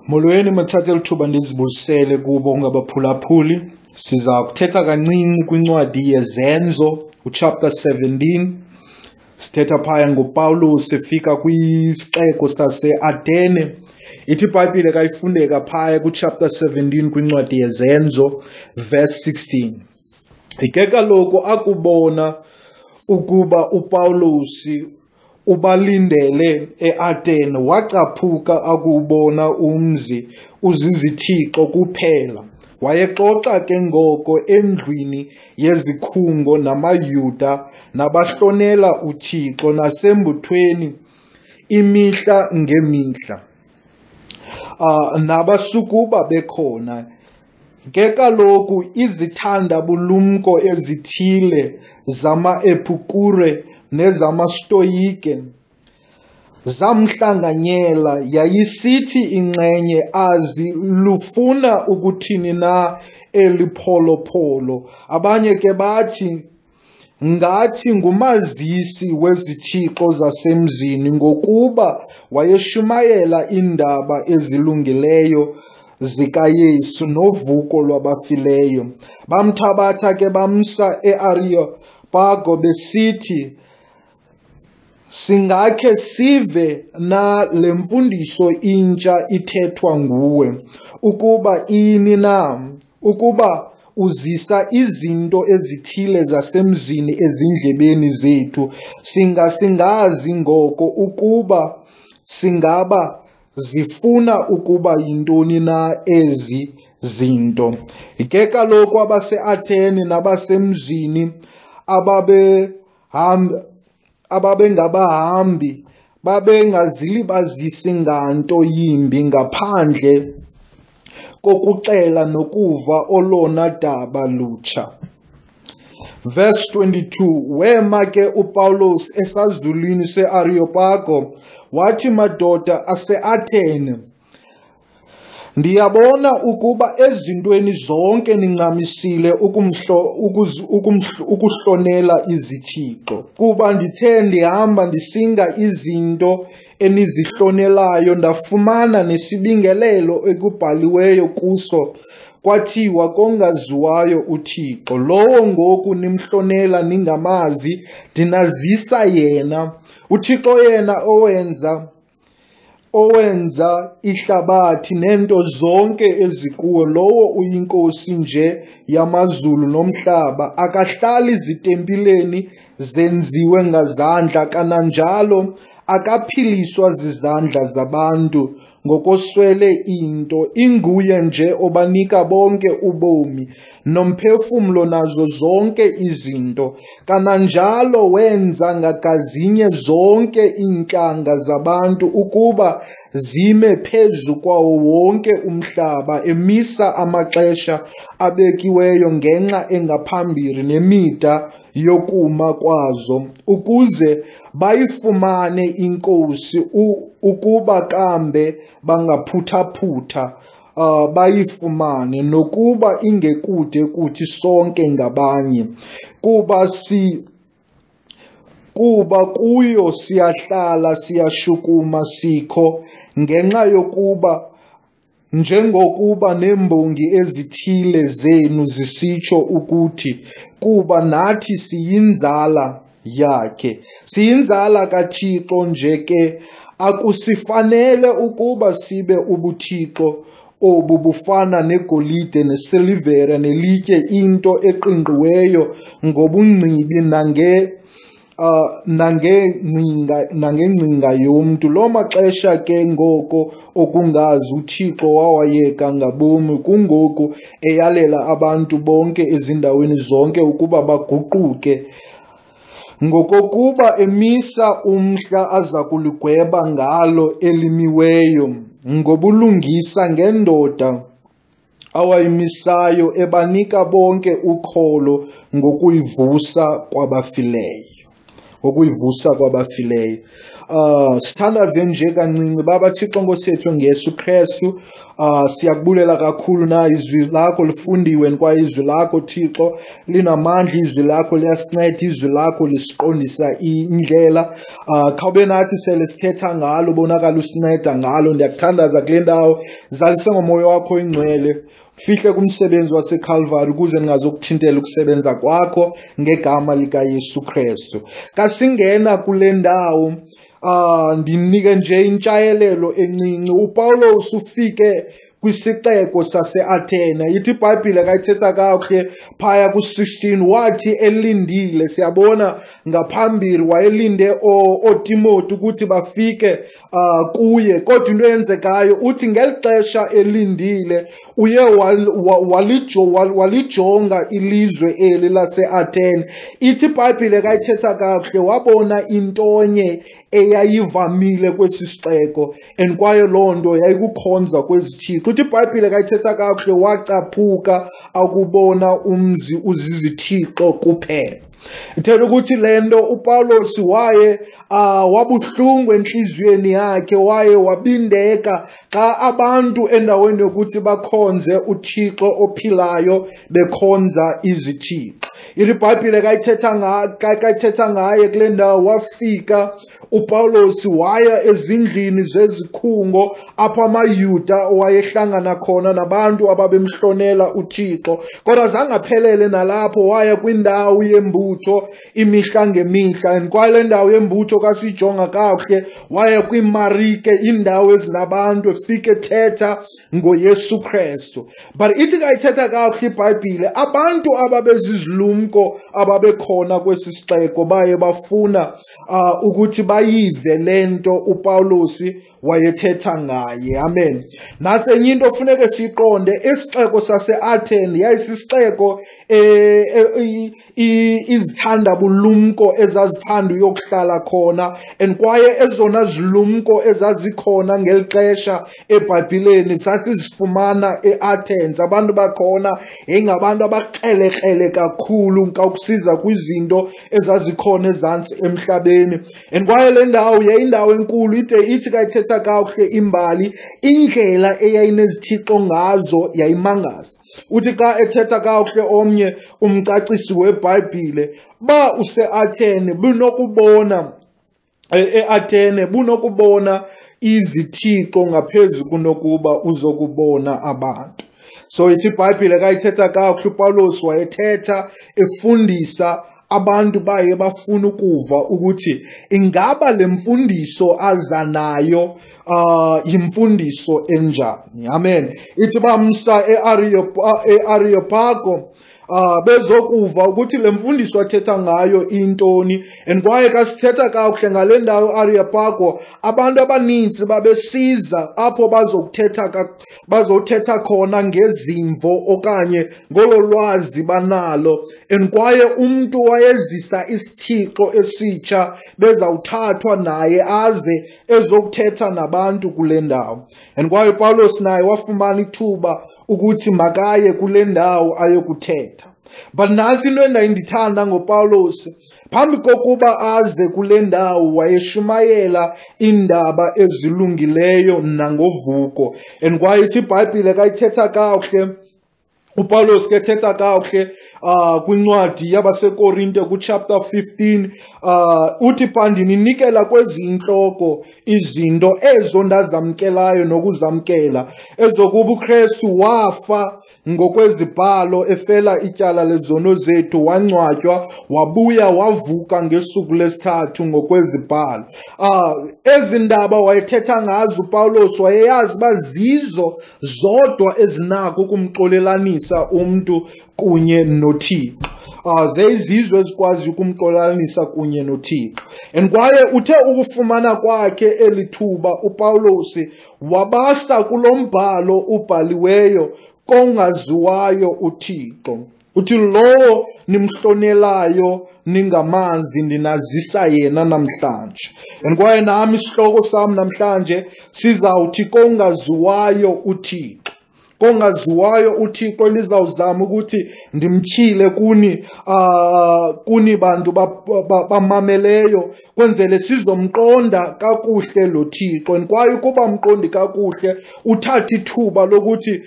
Molweni, mathatha eli thuba ndizibulisele kubo ngabaphulaphuli. Siza kuthetha kancinci kwincwadi yeZenzo, uchapter 17. Sithetha phaya ngoPawulos efika kwisixeko saseAtene. Ithi iBhayibhile kayifundeka phaya kuchapter 17 kwincwadi yeZenzo, verse 16. Ke kaloku akubona ukuba uPawulos ubalindele eAtene, wacaphuka akuwubona umzi uzizithixo kuphela. Wayexoxa ke ngoko endlwini yezikhungo namaYuda nabahlonela uThixo nasembuthweni imihla ngemihla. Nabasukuba bekhona. Ke kaloku izithanda-bulumko ezithile zamaEpikure nezamaStoyike zamhlanganyela. Yayisithi inxenye, azi lufuna ukuthini na eli pholopholo. Abanye ke bathi, ngathi ngumazisi wezithixo zasemzini, ngokuba wayeshumayela iindaba ezilungileyo zikaYesu novuko lwabafileyo. Bamthabatha ke bamsa eAreyopago besithi, singakhe sive na le mfundiso intsha ithethwa nguwe, ukuba ini na, ukuba uzisa izinto ezithile zasemzini ezindlebeni zethu, singasingazi ngoko ukuba singaba zifuna ukuba yintoni na ezi zinto. Ke kaloku abaseAthene nabasemzini ababengabahambi babengazilibazisi nganto yimbi ngaphandle kokuxela nokuva olona daba lutsha. Verse 22, wema ke uPawulos esazulwini seAreyopago, wathi, madoda aseAthene, ndiyabona ukuba ezintweni zonke nincamisile ukuhlonela izithixo. Kuba ndithe ndihamba ndisinga izinto enizihlonelayo, ndafumana nesibingelelo ekubhaliweyo kuso, kwathiwa kongaziwayo uThixo. Lowo ngoku nimhlonela ningamazi, ndinazisa yena. UThixo yena owenza ihlabathi neento zonke ezikuwo, lowo uyinkosi nje yamazulu nomhlaba, akahlali zitempileni zenziwe ngazandla, kananjalo akaphiliswa zizandla zabantu ngokoswele into. Inguye nje obanika bonke ubomi nomphefumlo nazo zonke izinto. Kananjalo wenza ngagazinye zonke iintlanga zabantu ukuba zime phezu kwawo wonke umhlaba, emisa amaxesha abekiweyo ngenxa engaphambili nemida yokuma kwazo, ukuze bayifumane iNkosi, ukuba kambe bangaphuthaphutha bayifumane, nokuba ingekude kuthi sonke ngabanye. Kuba kuyo siyahlala, siyashukuma, sikho, ngenxa yokuba njengokuba neembongi ezithile zenu zisitsho ukuthi, kuba nathi siyinzala yakhe. Siyinzala kaThixo nje ke, akusifanele ukuba sibe ubuthixo obu bufana negolide nesilivere nelitye, into eqingqiweyo ngobungcibi nangengcinga yomntu. Loo maxesha ke ngoko okungazi uThixo wawayeka ngabomi, kungoku eyalela abantu bonke ezindaweni zonke ukuba baguquke, ngokokuba emisa umhla aza kuligweba ngalo elimiweyo ngobulungisa ngendoda awayimisayo, ebanika bonke ukholo ngokuyivusa kwabafileyo. Ngokuyivusa kwabafileyo. Sithandaze nje kancinci. Baba Thixo Nkosi yethu ngeYesu Kristu, siyakubulela kakhulu na izwi lakho lifundiwe, kwaye izwi lakho Thixo linamandla, izwi lakho liyasinceda, izwi lakho lisiqondisa indlela. Khawube nathi sele sithetha ngalo, bonakala usinceda ngalo. Ndiyakuthandaza kule ndawo, zalise ngomoya wakho oyingcwele, fihle kumsebenzi waseKalvari ukuze ndingazokuthintela ukusebenza kwakho ngegama likaYesu Kristu. Kasingena kule ndawo, ndinike nje intshayelelo encinci. uPawulos ufike kwisixeko saseAthene. Ithi iBhayibhile kayithetha kakuhle phaya ku-16, wathi elindile. Siyabona ngaphambili wayelinde ooTimoti ukuthi bafike kuye, kodwa into eyenzekayo uthi ngeli xesha elindile uye walijonga ilizwe eli laseAthene. Ithi iBhayibhile kayithetha kakuhle, wabona intonye eyayivamile kwesi sixeko, and kwaye loo nto yayikukhonza kwezithixo. Uthi iBhayibhile kayithetha kakuhle, wacaphuka akubona umzi uzizithixo kuphela. Ithetha ukuthi le nto uPawulos waye wabuhlungu entliziyweni yakhe, waye wabindeka xa abantu endaweni yokuthi bakhonze uThixo ophilayo bekhonza izithixo. Ithi iBhayibhile kayithetha ngaye kule ndawo, wafika uPawulos waya ezindlini zezikhungo apho amaYuda wayehlangana khona nabantu ababemhlonela uThixo. Kodwa zange aphelele nalapho, waya kwindawo yembutho imihla ngemihla. And kwaye le ndawo yembutho kasijonga kakuhle, waya kwiimarike, iindawo ezinabantu, efike ethetha ngoYesu Kristu. But ithi kayithetha kakuhle iBhayibhile, abantu ababezizilumko ababekhona kwesi sixeko baye bafuna ukuthi bayive le nto uPawulos wayethetha ngaye. Amen. Nantsi enye into ofuneke siyiqonde, isixeko saseAthene yayisisixeko izithanda bulumko ezazithanda uyokuhlala khona, and kwaye ezona zilumko ezazikhona ngeli xesha eBhayibhileni sasizifumana eAthens. Abantu bakhona yayingabantu abakrelekrele kakhulu xa kusiza kwizinto ezazikhona ezantsi emhlabeni. And kwaye le ndawo yayindawo enkulu, ide ithi kayithetha kakuhle imbali, indlela eyayinezithixo ngazo yayimangaza. Uthi xa ethetha kakuhle omnye umcacisi weBhayibhile, ba useAthene bunokubona eAthene bunokubona izithixo ngaphezu kunokuba uzokubona abantu. So ithi iBhayibhile kayithetha kakuhle, uPawulos wayethetha efundisa abantu baye bafuna ukuva ukuthi ingaba le mfundiso aza nayo yimfundiso enjani. Amen. Ithi bamsa eAreopago bezokuva ukuthi le mfundiso athetha ngayo intoni. And kwaye kasithetha kakuhle ngale ndawo Areopago, abantu abaninzi babesiza apho bazothetha khona ngezimvo okanye ngolo lwazi banalo. And kwaye umntu wayezisa isithixo esitsha bezawuthathwa naye aze ezokuthetha nabantu kule ndawo. And kwaye uPawulos naye wafumana ithuba ukuthi makaye kule ndawo ayokuthetha. But nantsi into endayindithanda ngoPawulos, phambi kokuba aze kule ndawo wayeshumayela iindaba ezilungileyo nangovuko. And kwaye ithi iBhayibhile kayithetha kakuhle, uPawulos ke ethetha kakuhle kwincwadi yabaseKorinte kuchapter 15, uthi pha ndininikela kwezi intloko izinto ezo ndazamkelayo nokuzamkela, ezokuba uKristu wafa ngokwezibhalo efela ityala lezono zethu, wangcwatywa, wabuya wavuka ngesuku lesithathu ngokwezibhalo. Ezi ndaba wayethetha ngazo uPawulos wayeyazi uba zizo zodwa ezinako ukumxolelanisa umntu kunye noThixo. Zeyizizwe ezikwazi ukumxolelanisa kunye noThixo. And kwaye uthe ukufumana kwakhe eli thuba uPawulos wabasa kulo mbhalo ubhaliweyo kongaziwayo uThixo. Uthi lowo nimhlonelayo ningamazi ndinazisa yena namhlanje. And kwaye nami isihloko sami namhlanje sizawuthi kongaziwayo uThixo. Kongaziwayo uThixo ndizawuzama ukuthi ndimtyhile kuni, kuni bantu bamameleyo, kwenzele sizomqonda kakuhle lo Thixo. And kwaye ukuba mqondi kakuhle, uthathe ithuba lokuthi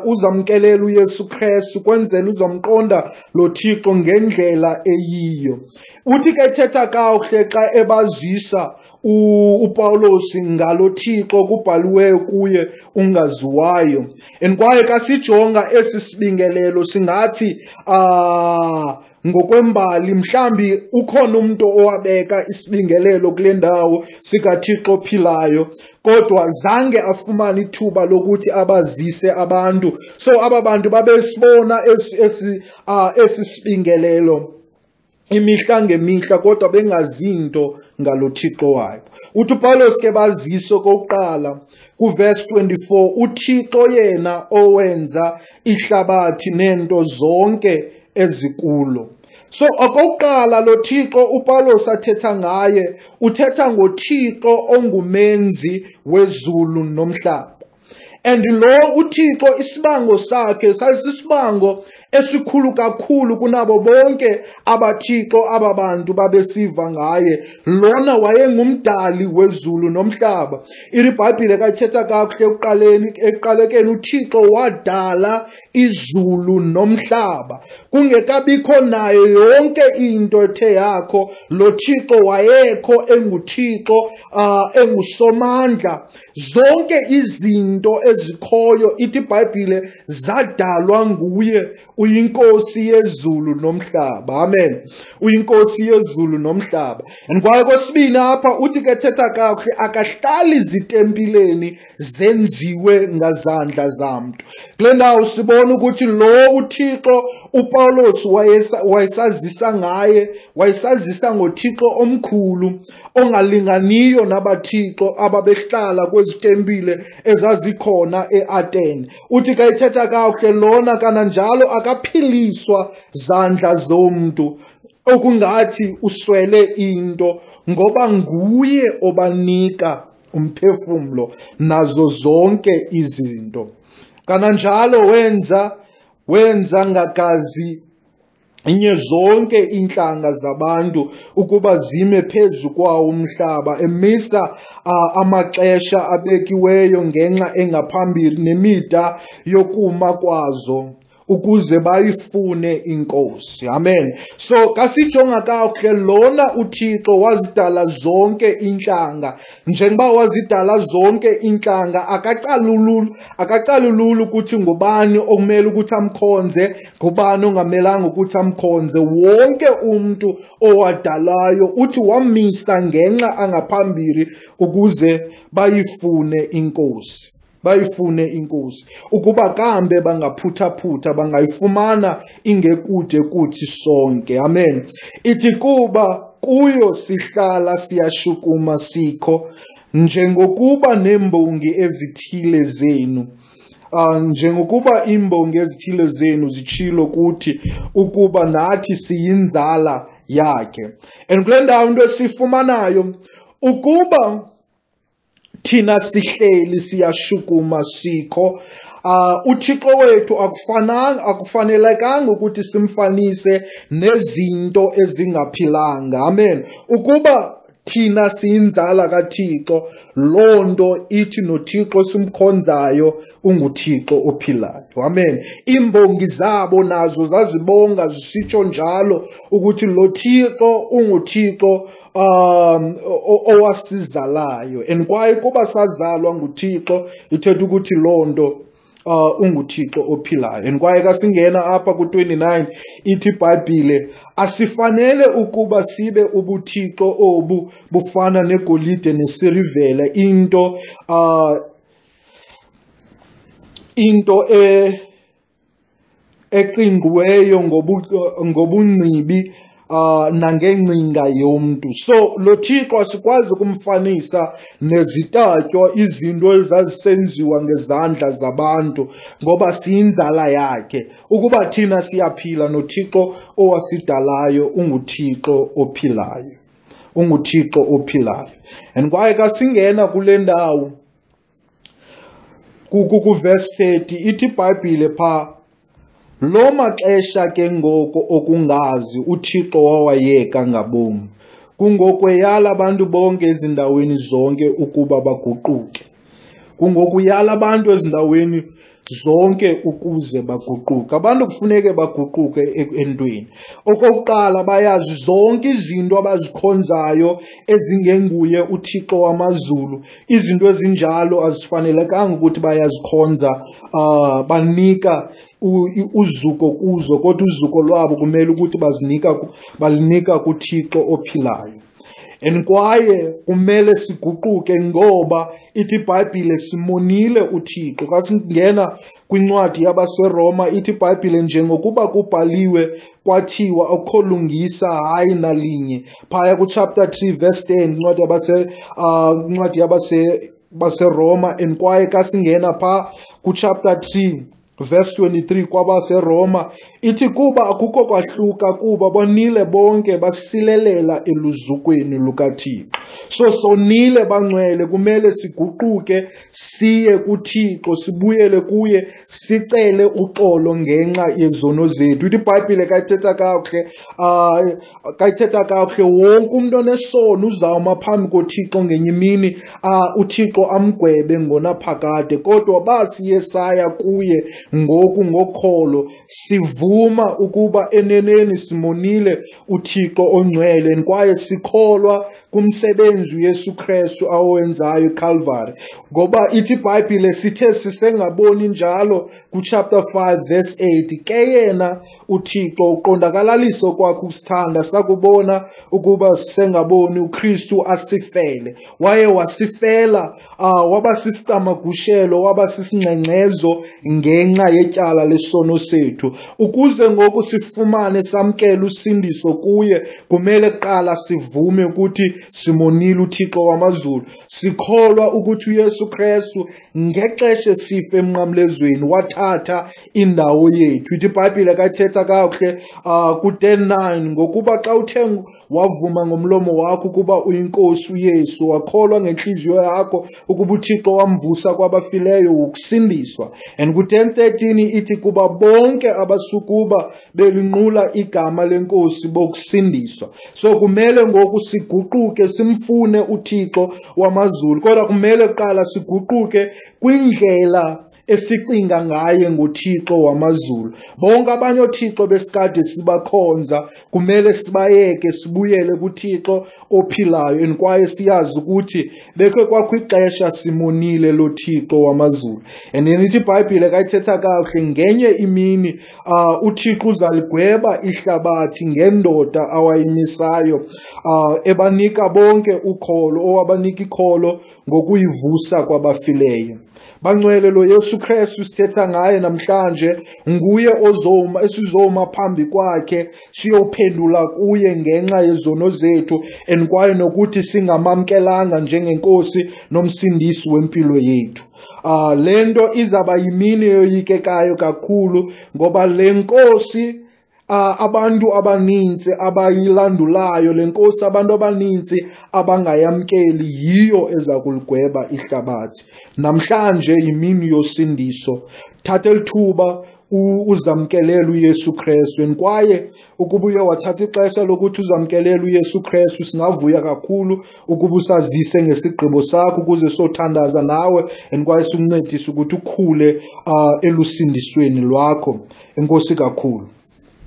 uzamkelela uYesu Krestu, kwenzele uzomqonda lo Thixo ngendlela eyiyo. Uthi ke thetha kakuhle xa ebazisa uPawulos ngalo Thixo kubhaliweyo kuye ungaziwayo. And kwaye xa sijonga esi sibingelelo singathi ngokwembali mhlambi ukhona umuntu owabeka isibingelelo kule ndawo sikaThixo ophilayo, kodwa zange afumane ithuba lokuthi abazise abantu. So aba bantu babesibona esi sibingelelo imihla ngemihla, kodwa bengazinto ngalo Thixo wabo. Uthi uPawulos ke bazise okokuqala kuverse 24, uThixo yena owenza ihlabathi nento zonke ezikulo. So okokuqala lo Thixo uPawulos athetha ngaye, uthetha ngoThixo ongumenzi wezulu nomhlaba. And lo uThixo isibango sakhe sasisibango esikhulu kakhulu kunabo bonke abathixo ababantu babesiva ngaye. Lona wayengumdali wezulu nomhlaba. IBhayibhile kayithetha kakuhle ekuqaleni, ekuqalekeni uThixo wadala izulu nomhlaba. Kungekabikho nayo yonke into ethe yakho, lo Thixo wayekho enguThixo, engusomandla. Zonke izinto ezikhoyo ithi iBhayibhile zadalwa nguye. Uyinkosi yezulu nomhlaba. Amen. Uyinkosi yezulu nomhlaba. And kwaye kwesibini apha uthi ke thetha kakuhle, akahlali zitempileni zenziwe ngazandla zamntu. Kule ndawo sibona ukuthi lo uThixo uPawulos wayesazisa ngaye, wayesazisa ngoThixo omkhulu ongalinganiyo nabathixo ababehlala kwezitempile ezazikhona eAthene. Uthi ke ethetha kakuhle lona kananjalo akaphiliswa zandla zomntu, okungathi uswele into, ngoba nguye obanika umphefumlo nazo zonke izinto. Kananjalo wenza ngagazi inye zonke intlanga zabantu ukuba zime phezu kwawo umhlaba, emisa amaxesha abekiweyo ngenxa engaphambili nemida yokuma kwazo, ukuze bayifune inkosi. Amen. So kasijonga kakuhle, lona uThixo wazidala zonke intlanga. Njengoba wazidala zonke intlanga, akacalululi ukuthi ngubani okumele ukuthi amkhonze, ngubani ongamelanga ukuthi amkhonze. Wonke umuntu owadalayo uthi wamisa ngenxa angaphambili ukuze bayifune inkosi. Bayifune inkosi ukuba kambe bangaphuthaphutha bangayifumana ingekude kuthi sonke. Amen. Ithi kuba kuyo sihlala siyashukuma sikho, njengokuba nembongi ezithile zenu, njengokuba imbongi ezithile zenu zitshilo kuthi ukuba nathi siyinzala yakhe. And kule ndawo into esifumanayo ukuba thina sihleli siyashukuma sikho, uThixo wethu akufanelekanga ukuthi simfanise nezinto ezingaphilanga. Amen. Ukuba thina siyinzala kaThixo, loo nto ithi noThixo simkhonzayo unguThixo ophilayo. Amen. Imbongi zabo nazo zazibonga zisitsho njalo ukuthi lo Thixo unguThixo owasizalayo. And kwaye kuba sazalwa nguThixo, ithetha ukuthi loo nto unguThixo ophilayo. And kwaye kasingena apha ku-29 ithi iBhayibhile asifanele ukuba sibe ubuthixo obu bufana negolide nesilivere, into eqingqiweyo ngobungcibi nangengcinga yomntu. So lo Thixo asikwazi ukumfanisa nezitatyo, izinto ezazisenziwa ngezandla zabantu, ngoba siyinzala yakhe. Ukuba thina siyaphila noThixo owasidalayo unguThixo ophilayo, unguThixo ophilayo. And kwaye kasingena kule ndawo Ku-verse 30 ithi iBhayibhile pha, lo maxesha ke ngoko okungazi uThixo wawayeka ngabom. Kungoku eyala abantu bonke ezindaweni zonke ukuba baguquke. Kungoku uyala abantu ezindaweni zonke ukuze baguquke. Abantu kufuneke baguquke entweni. Okokuqala bayazi zonke izinto abazikhonzayo ezingenguye uThixo wamazulu. Izinto ezinjalo azifanelekanga ukuthi bayazikhonza, banika uzuko kuzo, kodwa uzuko lwabo kumele ukuthi balunika kuThixo ophilayo. And kwaye kumele siguquke ngoba ithi iBhayibhile simonile uThixo. Xa singena kwincwadi yabaseRoma ithi iBhayibhile njengokuba kubhaliwe kwathiwa akukho lungisa hayi nalinye. Phaya ku-chapter 3 verse 10 incwadi incwadi baseRoma, and kwaye xa singena pha ku-chapter 3 verse 23 kwabaseRoma ithi kuba akukho kwahluka kuba bonile bonke basilelela eluzukweni lukaThixo. So sonile bangcwele, kumele siguquke siye kuThixo, sibuyele kuye, sicele uxolo ngenxa yezono zethu. Ithi iBhayibhile kayithetha kakuhle, wonke umuntu onesono uzawuma phambi koThixo ngenye imini, uThixo amgwebe ngonaphakade. Kodwa basiye saya kuye ngoku ngokholo, sivuma ukuba eneneni simonile uThixo ongcwele, kwaye sikholwa kumsebenzi uYesu Kristu awenzayo eCalvary. Ngoba ithi iBhayibhile sithe sisengaboni njalo ku-chapter 5 verse 8, ke yena uThixo uqondakalaliso kwakhe ukusithanda, sakubona ukuba sisengaboni uKristu asifele. Waye wasifela, waba sisicamagushelo, waba sisingxengxezo ngenxa yetyala lesono sethu. Ukuze ngoku sifumane samkele usindiso kuye, kumele kuqala sivume ukuthi simonile uThixo wamazulu. Sikholwa ukuthi uYesu Kristu ngexesha esifa emnqamlezweni wathatha indawo yethu. Ithi iBhayibhile kayithetha kakuhle ku-10:9, ngokuba xa uthe wavuma ngomlomo wakho ukuba uyinkosi uYesu, wakholwa ngenhliziyo yakho ukuba uThixo wamvusa kwabafileyo, wokusindiswa. And ku-10:13 ithi kuba bonke abasukuba belinqula igama lenkosi bokusindiswa. So kumele ngoku siguquke simfune uThixo wamazulu, kodwa kumele kuqala siguquke kwindlela esicinga ngaye ngoThixo wamazulu. Bonke abanye othixo besikade sibakhonza kumele sibayeke, sibuyele kuThixo ophilayo, and kwaye siyazi ukuthi bekhe kwakho ixesha simonile lo Thixo wamazulu. And then ithi iBhayibhile kayithetha kakuhle, ngenye imini uThixo uzaligweba ihlabathi ngendoda awayimisayo, ebanika bonke ukholo, owabanika ikholo ngokuyivusa kwabafileyo. Bangcwele, lo Yesu Kristu sithetha ngaye namhlanje nguye ozoma, esizoma phambi kwakhe siyophendula kuye ngenxa yezono zethu, and kwaye nokuthi singamamkelanga njengenkosi nomsindisi wempilo yethu. Le nto izaba yimini eyoyikekayo kakhulu, ngoba le nkosi abantu abaninzi abayilandulayo, le nkosi abantu abaninzi abangayamkeli, yiyo eza kuligweba ihlabathi. Namhlanje yimini yosindiso. Thatha elithuba uzamkelele uYesu Kristu, and kwaye ukuba uye wathatha ixesha lokuthi uzamkelele uYesu Kristu, singavuya kakhulu ukuba usazise ngesigqibo sakho ukuze sothandaza nawe, and kwaye sikuncedise ukuthi ukhule elusindisweni lwakho. Enkosi kakhulu.